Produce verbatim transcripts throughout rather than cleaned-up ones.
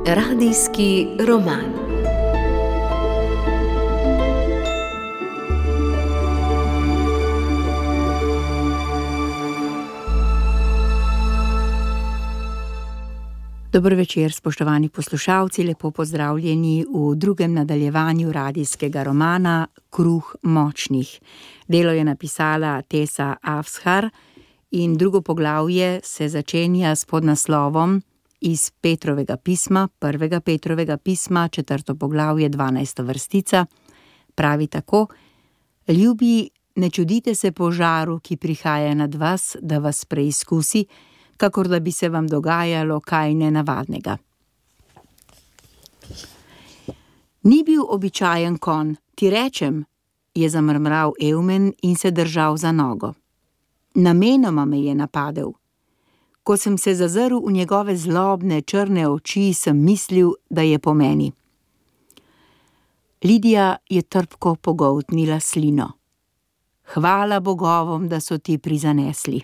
Radijski roman. Dober večer, spoštovani poslušalci, lepo pozdravljeni v drugem nadaljevanju radijskega romana Kruh močnih. Delo je napisala Tessa Afshar in drugo poglavje se začenja s podnaslovom Iz Petrovega pisma, prvega Petrovega pisma, četrto poglavje, dvanajsta vrstica. Pravi tako: Ljubi, ne čudite se požaru, ki prihaja nad vas, da vas preizkusi, kakor da bi se vam dogajalo kaj nenavadnega. Ni bil običajen konj, ti rečem, je zamrmral Eumen in se držal za nogo. Namenoma me je napadel. Ko sem se zazrl v njegove zlobne, črne oči, sem mislil, da je po meni. Lidija je trpko pogoltnila slino. Hvala bogovom, da so ti prizanesli.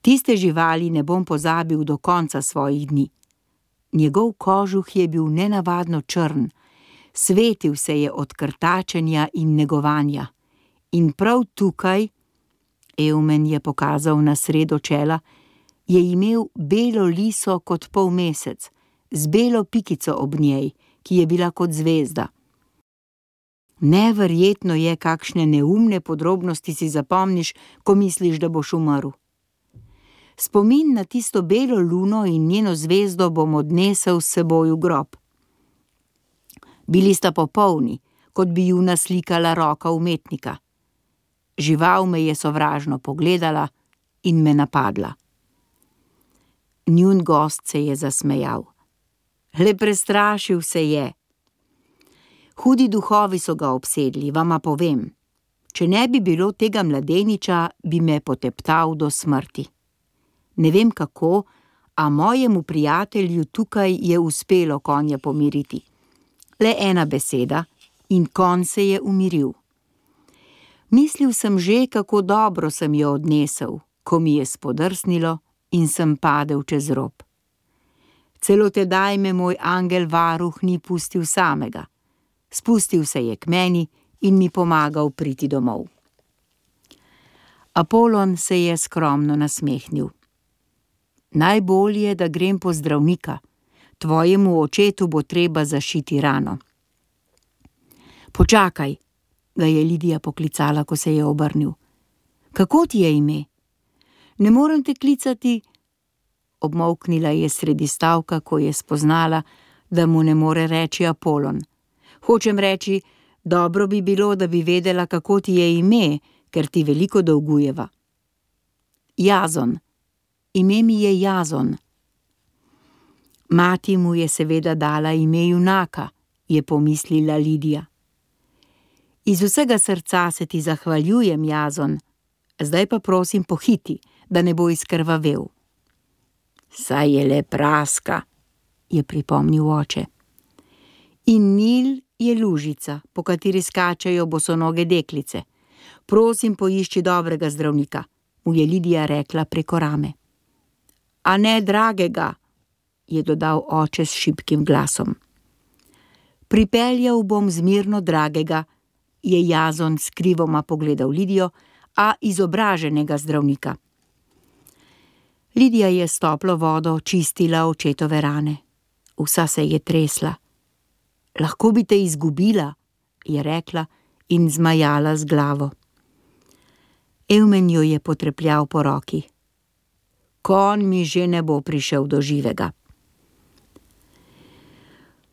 Tiste živali ne bom pozabil do konca svojih dni. Njegov kožuh je bil nenavadno črn, svetil se je od krtačenja in negovanja. In prav tukaj, Eumen je pokazal na sredo čela, je imel belo liso kot polmesec, z belo pikico ob njej, ki je bila kot zvezda. Neverjetno je, kakšne neumne podrobnosti si zapomniš, ko misliš, da boš umrl. Spomin na tisto belo luno in njeno zvezdo bom odnesel s seboj v grob. Bili sta popolni, kot bi ju naslikala roka umetnika. Žival me je sovražno pogledala in me napadla. Njun gost se je zasmejal. Le prestrašil se je. Hudi duhovi so ga obsedli, vama povem. Če ne bi bilo tega mladeniča, bi me poteptal do smrti. Ne vem kako, a mojemu prijatelju tukaj je uspelo konja pomiriti. Le ena beseda in konj se je umiril. Mislil sem že, kako dobro sem jo odnesel, ko mi je spodrsnilo in sem padel čez rob. Celo tedaj me moj angel varuh ni pustil samega. Spustil se je k meni in mi pomagal priti domov. Apolon se je skromno nasmehnil. Najbolje, da grem po zdravnika. Tvojemu očetu bo treba zašiti rano. Počakaj, ga je Lidija poklicala, ko se je obrnil. Kako ti je ime? Ne morem te klicati. Obmolknila je sredi stavka, ko je spoznala, da mu ne more reči Apolon. Hočem reči, dobro bi bilo, da bi vedela, kako ti je ime, ker ti veliko dolgujeva. Jazon. Ime mi je Jazon. Mati mu je seveda dala ime junaka, je pomislila Lidija. Iz vsega srca se ti zahvaljujem, Jazon. Zdaj pa prosim pohiti, da ne bo izkrvavel. Saj je le praska, je pripomnil oče. In Nil je lužica, po kateri skačejo bosonoge deklice. Prosim, poišči dobrega zdravnika, mu je Lidija rekla preko rame. A ne dragega, je dodal oče s šibkim glasom. Pripeljal bom zmirno dragega, je Jazon skrivoma pogledal Lidijo, a izobraženega zdravnika. Lidija je s toplo vodo čistila očetove rane. Vsa se je tresla. Lahko bi te izgubila, je rekla in zmajala z glavo. Eumen jo je potrepljal po roki. Konj mi že ne bo prišel do živega.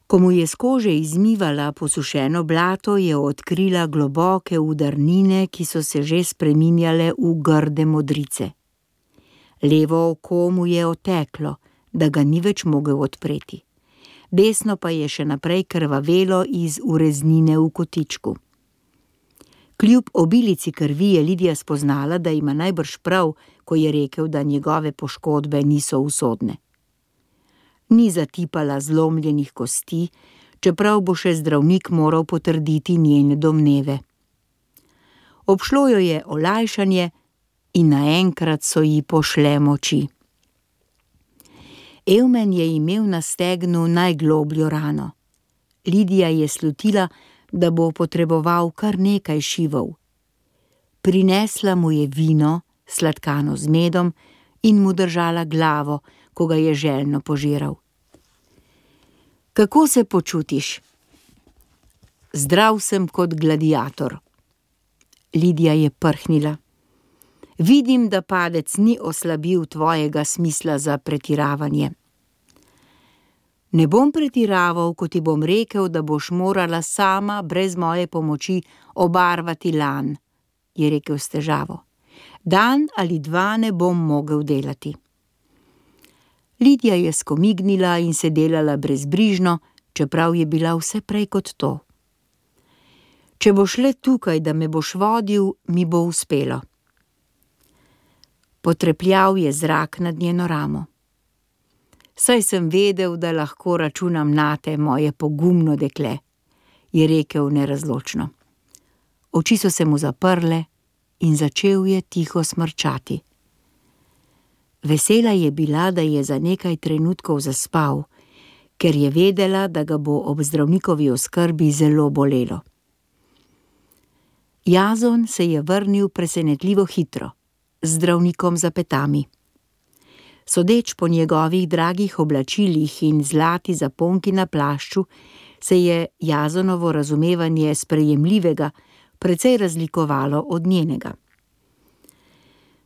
Ko mu je z kože izmivala posušeno blato, je odkrila globoke udarnine, ki so se že spreminjale v grde modrice. Levo oko mu je oteklo, da ga ni več mogel odpreti. Desno pa je še naprej krvavelo iz ureznine v kotičku. Kljub obilici krvi je Lidija spoznala, da ima najbrž prav, ko je rekel, da njegove poškodbe niso usodne. Ni zatipala zlomljenih kosti, čeprav bo še zdravnik moral potrditi njene domneve. Obšlo jo je olajšanje, in naenkrat so ji pošle moči. Evmen je imel na stegnu najglobljo rano. Lidija je slutila, da bo potreboval kar nekaj šivov. Prinesla mu je vino, sladkano z medom, in mu držala glavo, ko ga je željno požiral. Kako se počutiš? Zdrav sem kot gladiator. Lidija je prhnila. Vidim, da padec ni oslabil tvojega smisla za pretiravanje. Ne bom pretiraval, ko ti bom rekel, da boš morala sama brez moje pomoči obarvati lan, je rekel s težavo. Dan ali dva ne bom mogel delati. Lidija je skomignila in se delala brezbrižno, čeprav je bila vse prej kot to. Če boš le tukaj, da me boš vodil, mi bo uspelo. Potrepljal je zrak nad njeno ramo. Saj sem vedel, da lahko računam nate, moje pogumno dekle, je rekel nerazločno. Oči so se mu zaprle in začel je tiho smrčati. Vesela je bila, da je za nekaj trenutkov zaspal, ker je vedela, da ga bo ob zdravnikovi oskrbi zelo bolelo. Jazon se je vrnil presenetljivo hitro, z zdravnikom za petami. Sodeč po njegovih dragih oblačilih in zlati zaponki na plašču, se je Jazonovo razumevanje sprejemljivega precej razlikovalo od njenega.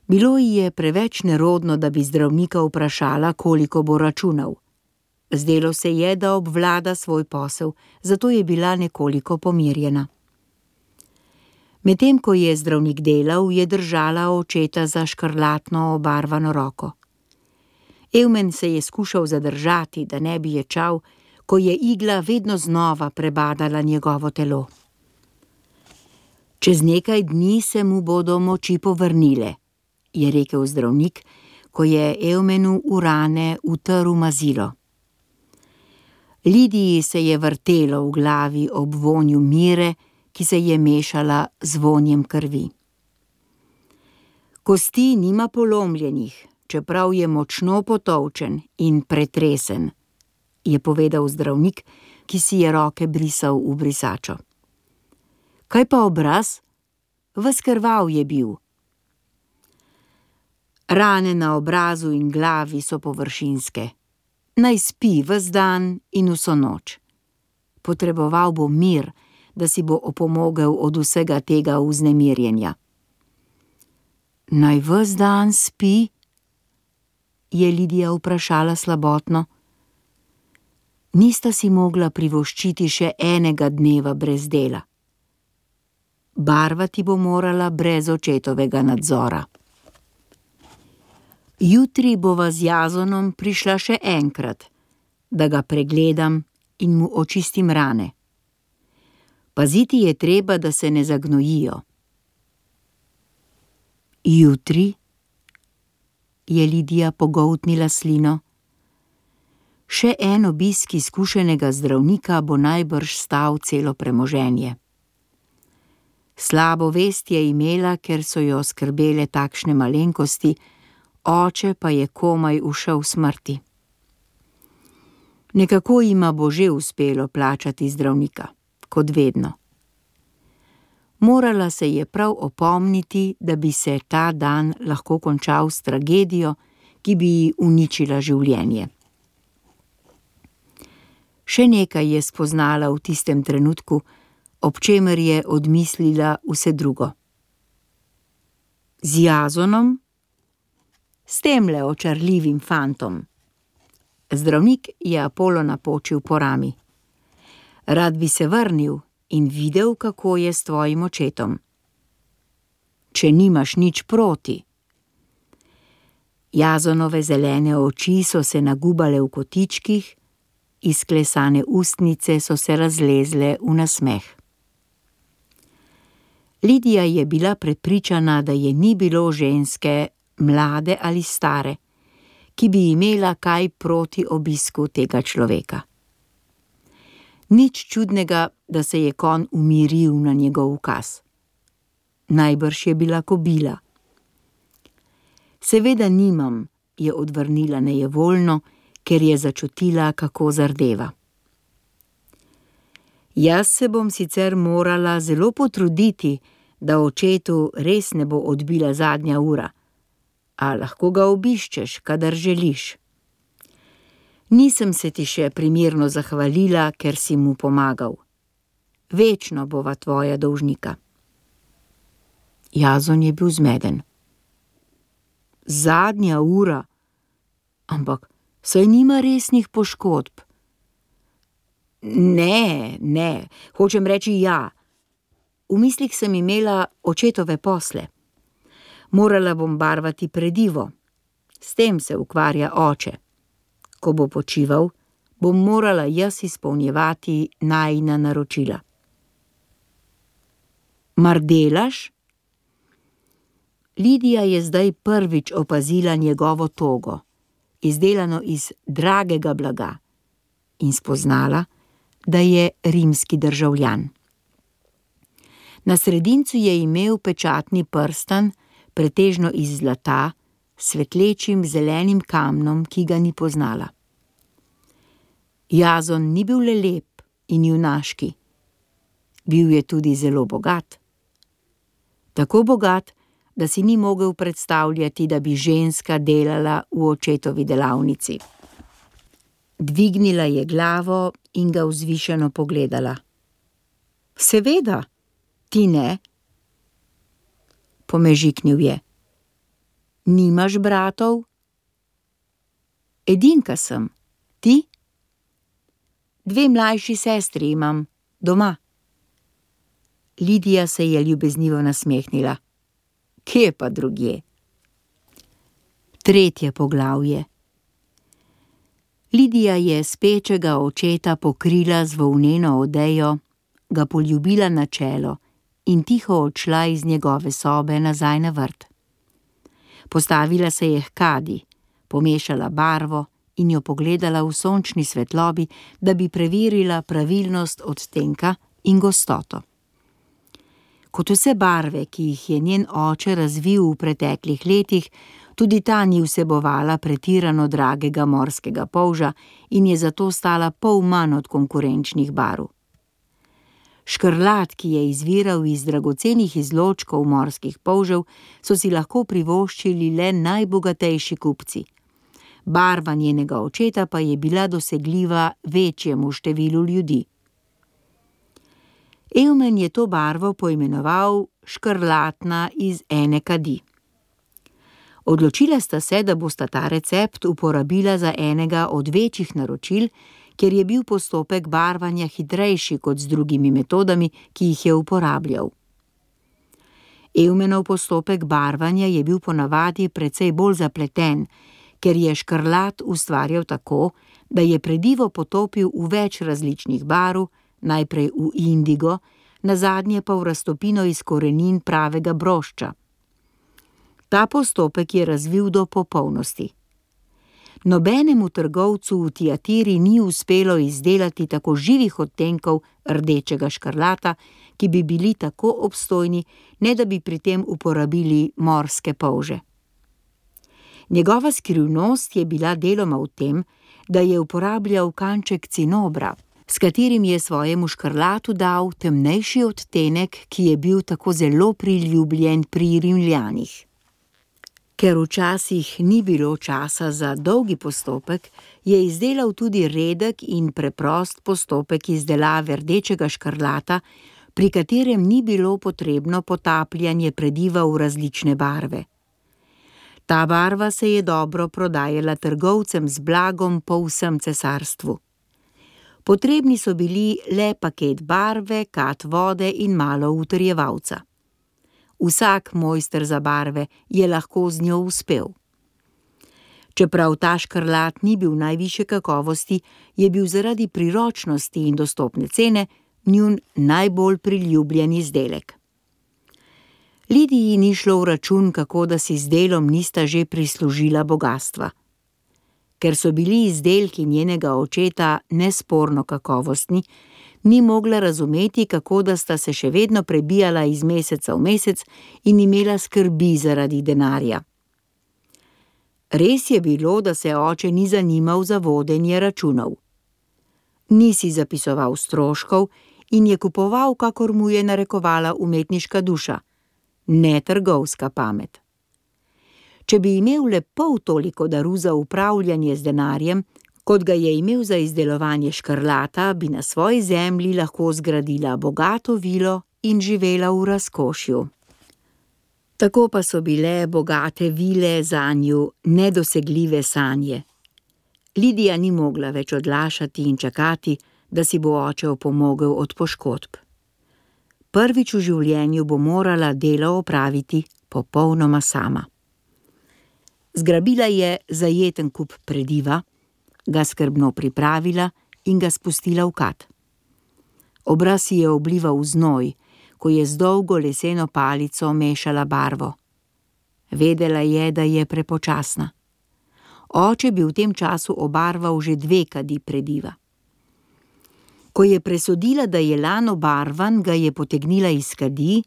Bilo ji je preveč nerodno, da bi zdravnika vprašala, koliko bo računal. Zdelo se je, da obvlada svoj posel, zato je bila nekoliko pomirjena. Medtem ko je zdravnik delal, je držala očeta za škrlatno obarvano roko. Evmen se je skušal zadržati, da ne bi ječal, ko je igla vedno znova prebadala njegovo telo. Čez nekaj dni se mu bodo moči povrnile, je rekel zdravnik, ko je Evmenu v rane utrl mazilo. Lidiji se je vrtelo v glavi ob vonju mire, ki se je mešala z vonjem krvi. Kosti nima polomljenih, čeprav je močno potolčen in pretresen, je povedal zdravnik, ki si je roke brisal v brisačo. Kaj pa obraz? Ves krvav je bil. Rane na obrazu in glavi so površinske. Naj spi ves dan in vso noč. Potreboval bo mir, da si bo opomogel od vsega tega vznemirjenja. Naj ves dan spi? Je Lidija vprašala slabotno. Nista si mogla privoščiti še enega dneva brez dela. Barvati bo morala brez očetovega nadzora. Jutri bova z Jazonom prišla še enkrat, da ga pregledam in mu očistim rane. Paziti je treba, da se ne zagnojijo. Jutri? Je Lidija pogoltnila slino. Še en obisk izkušenega zdravnika bo najbrž stal celo premoženje. Slabo vest je imela, ker so jo skrbele takšne malenkosti, oče pa je komaj ušel smrti. Nekako jima bo že uspelo plačati zdravnika, kot vedno. Morala se je prav opomniti, da bi se ta dan lahko končal s tragedijo, ki bi ji uničila življenje. Še nekaj je spoznala v tistem trenutku, ob čemer je odmislila vse drugo. Z Jazonom? S temle očarljivim fantom. Zdravnik je Apolo napočil po rami. Rad bi se vrnil in videl, kako je s tvojim očetom. Če nimaš nič proti. Jazonove zelene oči so se nagubale v kotičkih, izklesane ustnice so se razlezle v nasmeh. Lidija je bila prepričana, da je ni bilo ženske, mlade ali stare, ki bi imela kaj proti obisku tega človeka. Nič čudnega, da se je konj umiril na njegov ukaz. Najbrž je bila kobila. Seveda nimam, je odvrnila nejevoljno, ker je začutila, kako zardeva. Jaz se bom sicer morala zelo potruditi, da očetu res ne bo odbila zadnja ura, a lahko ga obiščeš, kadar želiš. Nisem se ti še primerno zahvalila, ker si mu pomagal. Večno bova tvoja dolžnika. Jazon je bil zmeden. Zadnja ura? Ampak saj nima resnih poškodb. Ne, ne, hočem reči ja. V mislih sem imela očetove posle. Morala bom barvati predivo. S tem se ukvarja oče. Ko bo počival, bom morala jaz izpolnjevati najina naročila. Mar delaš? Lidija je zdaj prvič opazila njegovo togo, izdelano iz dragega blaga, in spoznala, da je rimski državljan. Na sredincu je imel pečatni prstan, pretežno iz zlata, s svetlečim zelenim kamnom, ki ga ni poznala. Jazon ni bil le lep in junaški. Bil je tudi zelo bogat. Tako bogat, da si ni mogel predstavljati, da bi ženska delala v očetovi delavnici. Dvignila je glavo in ga vzvišeno pogledala. Seveda, ti ne? Pomežiknil je. Nimaš bratov? Edinka sem. Ti? Dve mlajši sestri imam, doma. Lidija se je ljubeznivo nasmehnila. Kje pa drugje? Tretje poglavje. Lidija je spečega očeta pokrila z volneno odejo, ga poljubila na čelo in tiho odšla iz njegove sobe nazaj na vrt. Postavila se je h kadi, pomešala barvo in jo pogledala v sončni svetlobi, da bi preverila pravilnost odtenka in gostoto. Kot vse barve, ki jih je njen oče razvil v preteklih letih, tudi ta ni vsebovala pretirano dragega morskega polža in je zato stala pol manj od konkurenčnih barv. Škrlat, ki je izviral iz dragocenih izločkov morskih polžev, so si lahko privoščili le najbogatejši kupci. Barva njenega očeta pa je bila dosegljiva večjemu številu ljudi. Evmen je to barvo poimenoval škrlatna iz ene kadi. Odločila sta se, da bosta ta recept uporabila za enega od večjih naročil, ker je bil postopek barvanja hitrejši kot z drugimi metodami, ki jih je uporabljal. Evmenov postopek barvanja je bil ponavadi precej bolj zapleten, ker je škrlat ustvarjal tako, da je predivo potopil v več različnih barv, najprej v indigo, nazadnje pa v raztopino iz korenin pravega brošča. Ta postopek je razvil do popolnosti. Nobenemu trgovcu v Tiatiri ni uspelo izdelati tako živih odtenkov rdečega škrlata, ki bi bili tako obstojni, ne da bi pri tem uporabili morske polže. Njegova skrivnost je bila deloma v tem, da je uporabljal kanček cinobra, s katerim je svojemu škrlatu dal temnejši odtenek, ki je bil tako zelo priljubljen pri Rimljanih. Ker včasih ni bilo časa za dolgi postopek, je izdelal tudi redek in preprost postopek izdelave rdečega škrlata, pri katerem ni bilo potrebno potapljanje prediva v različne barve. Ta barva se je dobro prodajala trgovcem z blagom po vsem cesarstvu. Potrebni so bili le paket barve, kat vode in malo utrjevalca. Vsak mojster za barve je lahko z njo uspel. Čeprav ta škrlat ni bil najvišje kakovosti, je bil zaradi priročnosti in dostopne cene njun najbolj priljubljen izdelek. Lidiji ni šlo v račun, kako da si z delom nista že prislužila bogastva. Ker so bili izdelki njenega očeta nesporno kakovostni, ni mogla razumeti, kako da sta se še vedno prebijala iz meseca v mesec in imela skrbi zaradi denarja. Res je bilo, da se oče ni zanimal za vodenje računov. Ni si zapisoval stroškov in je kupoval, kakor mu je narekovala umetniška duša, ne trgovska pamet. Če bi imel le pol toliko daru za upravljanje z denarjem, kot ga je imel za izdelovanje škrlata, bi na svoji zemlji lahko zgradila bogato vilo in živela v razkošju. Tako pa so bile bogate vile zanju nedosegljive sanje. Lidija ni mogla več odlašati in čakati, da si bo oče opomogel od poškodb. Prvič v življenju bo morala delo opraviti popolnoma sama. Zgrabila je zajeten kup prediva, ga skrbno pripravila in ga spustila v kad. Obraz si je oblival v znoj, ko je z dolgo leseno palico mešala barvo. Vedela je, da je prepočasna. Oče bi v tem času obarval že dve kadi prediva. Ko je presodila, da je lan obarvan, ga je potegnila iz kadi,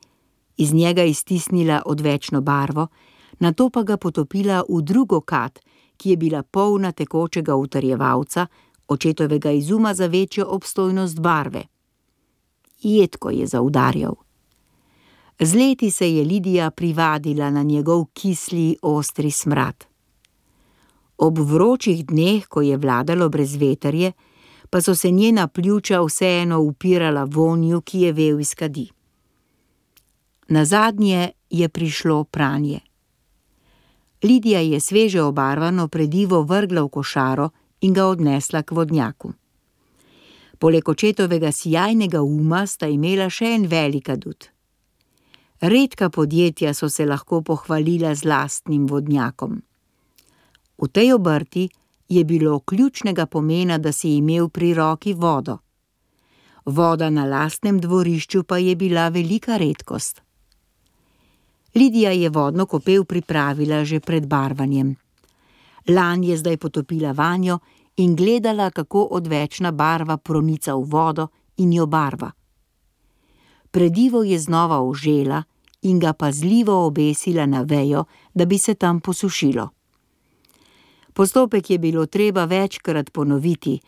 iz njega iztisnila odvečno barvo, nato pa ga potopila v drugo kad, ki je bila polna tekočega utrjevalca, očetovega izuma za večjo obstojnost barve. Jedko je zaudarjal. Z leti se je Lidija privadila na njegov kisli, ostri smrad. Ob vročih dneh, ko je vladalo brezvetrje, pa so se njena pljuča vseeno upirala vonju, ki je vel iz kadi. Nazadnje je prišlo pranje. Lidija je sveže obarvano predivo vrgla v košaro in ga odnesla k vodnjaku. Poleg očetovega sijajnega uma sta imela še en velik adut. Redka podjetja so se lahko pohvalila z lastnim vodnjakom. V tej obrti je bilo ključnega pomena, da si imel pri roki vodo. Voda na lastnem dvorišču pa je bila velika redkost. Lidija je vodno kopel pripravila že pred barvanjem. Lan je zdaj potopila vanjo in gledala, kako odvečna barva pronica v vodo in jo barva. Predivo je znova ožela in ga pazljivo obesila na vejo, da bi se tam posušilo. Postopek je bilo treba večkrat ponoviti,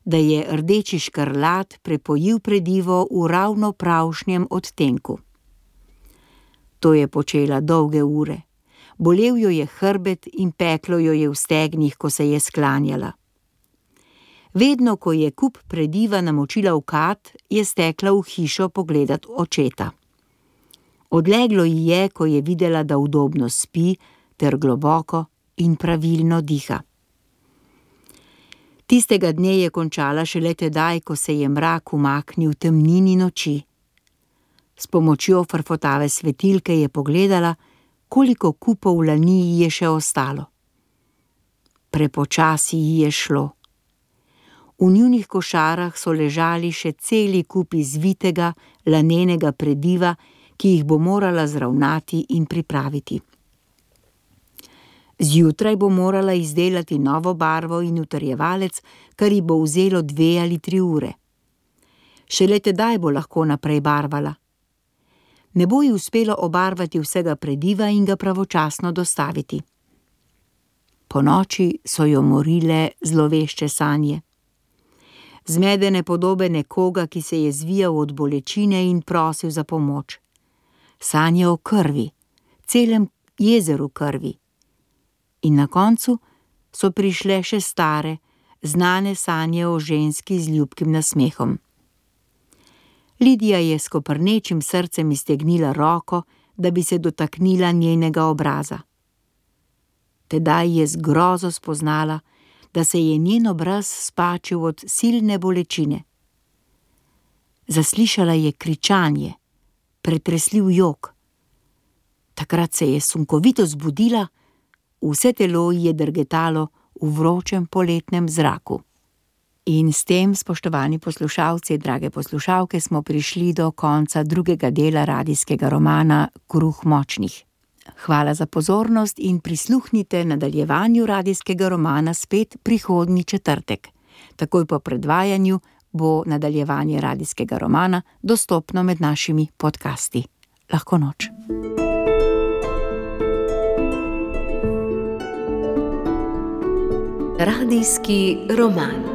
da je rdeči škrlat prepojil predivo v ravno pravšnjem odtenku. To je počela dolge ure. Bolel jo je hrbet in peklo jo je v stegnih, ko se je sklanjala. Vedno, ko je kup prediva namočila v kad, je stekla v hišo pogledat očeta. Odleglo ji je, ko je videla, da udobno spi, ter globoko in pravilno diha. Tistega dne je končala šele tedaj, ko se je mrak umaknil v temnini noči. S pomočjo frfotave svetilke je pogledala, koliko kupov lani ji je še ostalo. Prepočasi ji je šlo. V njunih košarah so ležali še celi kupi zvitega, lanenega prediva, ki jih bo morala zravnati in pripraviti. Zjutraj bo morala izdelati novo barvo in utrjevalec, kar ji bo vzelo dve ali tri ure. Šele tedaj bo lahko naprej barvala. Ne bo ji uspelo obarvati vsega prediva in ga pravočasno dostaviti. Ponoči so jo morile zlovešče sanje. Zmedene podobe nekoga, ki se je zvijal od bolečine in prosil za pomoč. Sanje o krvi, celem jezeru krvi. In na koncu so prišle še stare, znane sanje o ženski z ljubkim nasmehom. Lidija je s koprnečim srcem iztegnila roko, da bi se dotaknila njenega obraza. Tedaj je z grozo spoznala, da se je njen obraz spačil od silne bolečine. Zaslišala je kričanje, pretresljiv jok. Takrat se je sunkovito zbudila, vse telo ji je drgetalo v vročem poletnem zraku. In s tem, spoštovani poslušalci, drage poslušalke, smo prišli do konca drugega dela radijskega romana Kruh močnih. Hvala za pozornost in prisluhnite nadaljevanju radijskega romana spet prihodnji četrtek. Takoj po predvajanju bo nadaljevanje radijskega romana dostopno med našimi podcasti. Lahko noč. Radijski roman.